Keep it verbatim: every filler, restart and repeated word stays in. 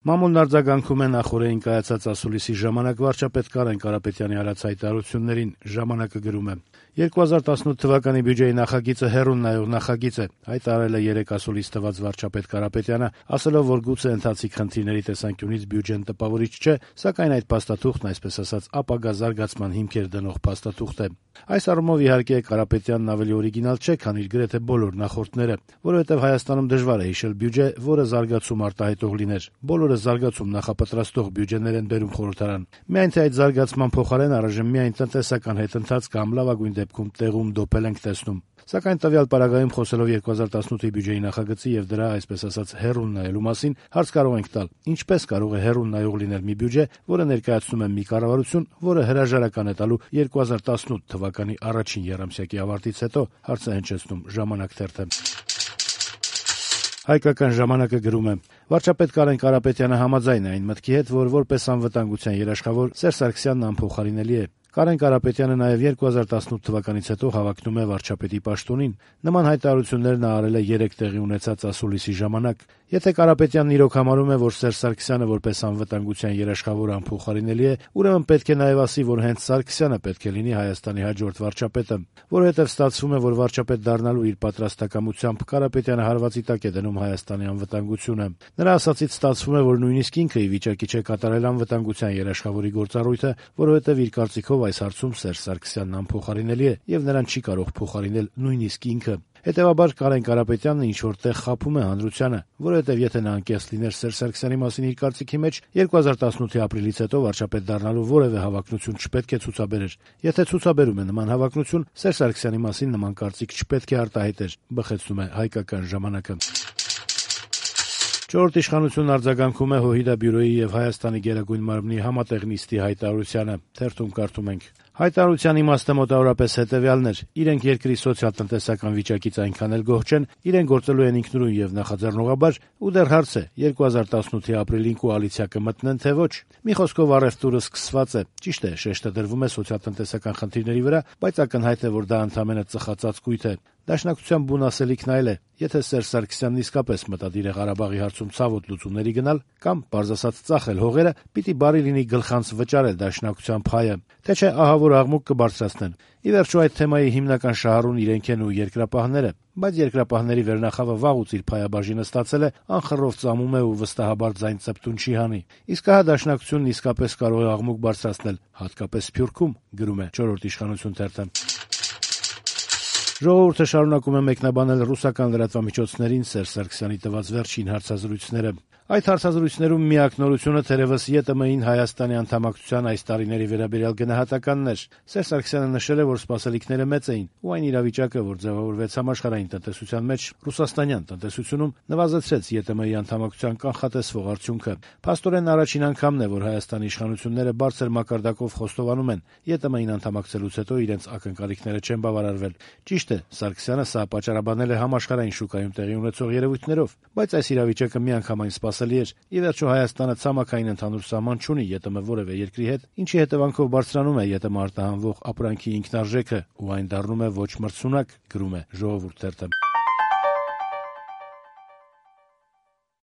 Մամուլն արձագանքում է նախօրեին կայացած ասուլիսի ժամանակ վարչապետ Կարեն Կարապետյանի արած հայտարարություններին։ Ժամանակը գրում է. «երկու հազար տասնութ թվականի բյուջեի նախագիծը հեռուն նայող նախագիծ է», հայտարարել է երեկ ասուլիս տված վարչապետ Կարապետյանը, ասելով, որ գուցե ընթացիկ խնդիրների տեսանկյունից բյուջեն տպավորիչ չէ, սակայն այդ փաստաթուղթն, այսպես ասած, ապագա զարգացման հիմքեր դնող փաստաթուղթ է։ Այս առումով, իհարկե, Կարապետյանն ավելի օրիգինալ չէ, քան իր գրեթե բոլոր նախորդները, որովհետև Հայաստանում դժվար է հիշել բյուջե, որը զարգացում արտահայտող լիներ։ Բոլորը զարգացում նախապատրաստող բյուջեներ են բերում խորհրդարան։ Միայն թե այդ զարգացման փոխարեն առայժմ միայն տնտեսական հետընթաց կամ լավագույն դեպքում տեղում դոփել ենք տեսնում։ Սակայն տվյալ պարագայում խոսելով երկու հազար տասնութի բյուջեի նախագծի եւ դրա, այսպես ասած, հեռուն նայելու մասին, հարց կարող ենք տալ. ինչպես կարող է հեռուն նայող լինել մի բյուջե, որը ներկայացնում է մի կառավարություն, որը հրաժարական է տալու երկու հազար տասնութ թվականի առաջին եռամսյակի ավարտից հետո, հարցը հնչեցնում «Ժամանակ» թերթը։ Հայկական ժամանակը գրում է. վարչապետ Կարեն Կարապետյանը համաձայն է այն մտքի հետ, որ որպես անվտանգության երաշխավոր Սերժ Սարգսյանն անփոխարինելի է։ Կարեն Կարապետյանը նաև երկու հազար տասնութ թվականից հետո հավակնում է վարչապետի պաշտոնին։ Նման հայտարարություններ նա արել է երեք տեղի ունեցած ասուլիսի ժամանակ։ Եթե Կարապետյանն իրոք համարում է, որ Սերժ Սարգսյանը որպես անվտանգության երաշխավոր անփոխարինելի է, ուրեմն պետք է նաև ասի, որ հենց Սարգսյանը պետք է լինի Հայաստանի հաջորդ վարչապետը, որովհետև ստացվում է, որ վարչապետ դառնալու իր պատրաստակամությամբ Կարապետյանը հարվածի տակ է դնում Հայաստանի անվտանգությունը։ Նրա ասածից ստացվում է, որ նույնիսկ ինքը ի վիճակի չէ կատարել անվտանգության երաշխավորի գործառույթը, որովհետև իր կարծիքով այս հարցում Սերժ Սարգսյանն անփոխարինելի է եւ նրան չի կարող փոխարինել նույնիսկ ինքը։ Հետևաբար Կարեն Կարապետյանն ինչ-որ տեղ խաբում է հանրությանը, որովհետեւ եթե նա անկեղծ լիներ Սերժ Սարգսյանի մասին իր կարծիքի մեջ, երկու հազար տասնութի ապրիլից հետո վարչապետ դառնալու որևէ հավակնություն չպետք է ցուցաբերեր։ Եթե ցուցաբերում է նման հավակնություն, Սերժ Սարգսյանի մասին նման կարծիք չպետք է արտահայտեր, բխեցնում է Հայկական ժամանակը։ Չորրորդ իշխանությունն արձագանքում է ՀՅԴ բյուրոյի եւ Հայաստանի Գերագույն մարմնի համատեղ նիստի հայտարարությանը։ Թերթում կարդում ենք. Հայտարարության իմաստը մոտավորապես հետեւյալն էր. իրենք երկրի սոցիալ-տնտեսական վիճակից այնքան էլ գոհ չեն, իրենք գործելու են ինքնուրույն եւ նախաձեռնողաբար, ու դեռ հարց է երկու հազար տասնութի ապրիլին կոալիցիա կմտնեն թե ոչ։ Մի խոսքով առևտուրը սկսված է։ Ճիշտ է, շեշտը դրվում է սոցիալ-տնտեսական խնդիրների վրա, բայց ակնհայտ է, որ դա ընդամենը ծխածածկույթ է։ Դաշնակցության բուն ասելիքն այլ է. եթե Սերժ Սարգսյանն իսկապես մտադիր է Ղարաբաղի հարցում ցավոտ լուծումների գնալ կամ, պարզ ասած, ծախել հողերը, պիտի բարի լինի գլխանց վճարել Դաշնակցության փայը, թե չէ ահա որ աղմուկ կբարձրացնեն։ Ի վերջո այդ թեմայի հիմնական շահառուն իրենք են ու երկրապահները, բայց երկրապահների վերնախավը վաղուց իր փայաբաժինը ստացել է, անխռով ծամում է ու վստահաբար ձայն ծպտուն չի հանի։ Իսկ ահա Դաշնակցությունն իսկապես կարող է աղմուկ բարձրացնել, հատկապես Սփյուռքում, գրում է չորրորդ իշխանություն թերթը։ Ժողովուրդը շարունակում է մեկնաբանել ռուսական լրատվամիջոցներին Սերժ Սարգսյանի տված վերջին հարցազրույցները։ Այդ հարցազրույցներում միակ նորությունը թերևս ԵՏՄ-ին Հայաստանի անդամակցության այս տարիների վերաբերյալ գնահատականն էր։ Սերժ Սարգսյանը նշել է, որ սպասելիքները մեծ էին, ու այն իրավիճակը, որ ձևավորվեց համաշխարհային տնտեսության մեջ, ռուսաստանյան տնտեսությունում, նվազեցրեց ԵՏՄ-ի անդամակցության կանխատեսվող արդյունքը։ Փաստորեն առաջին անգամն է, որ Հայաստանի իշխանությունները բարձր մակարդակով խոստովանում են, ԵՏՄ-ին անդամակցելուց հետո իրենց ակնկալիքները չեն բավարարվել։ Ճիշտ է, Սարգսյանը սա պատճառաբանել է համաշխարհային շուկայում տեղի ունեցող երևույթներով, բայց այս իրավիճակը միանգամայն սպասելի էր։ Ի վերջո Հայաստանը ցամաքային ընդհանուր սահման չունի ԵՏՄ որևէ երկրի հետ, ինչի հետևանքով բարձրանում է ԵՏՄ արտահանվող ապրանքի ինքնարժեքը ու այն դառնում է ոչ մրցունակ, գրում է Ժողովուրդ թերթը։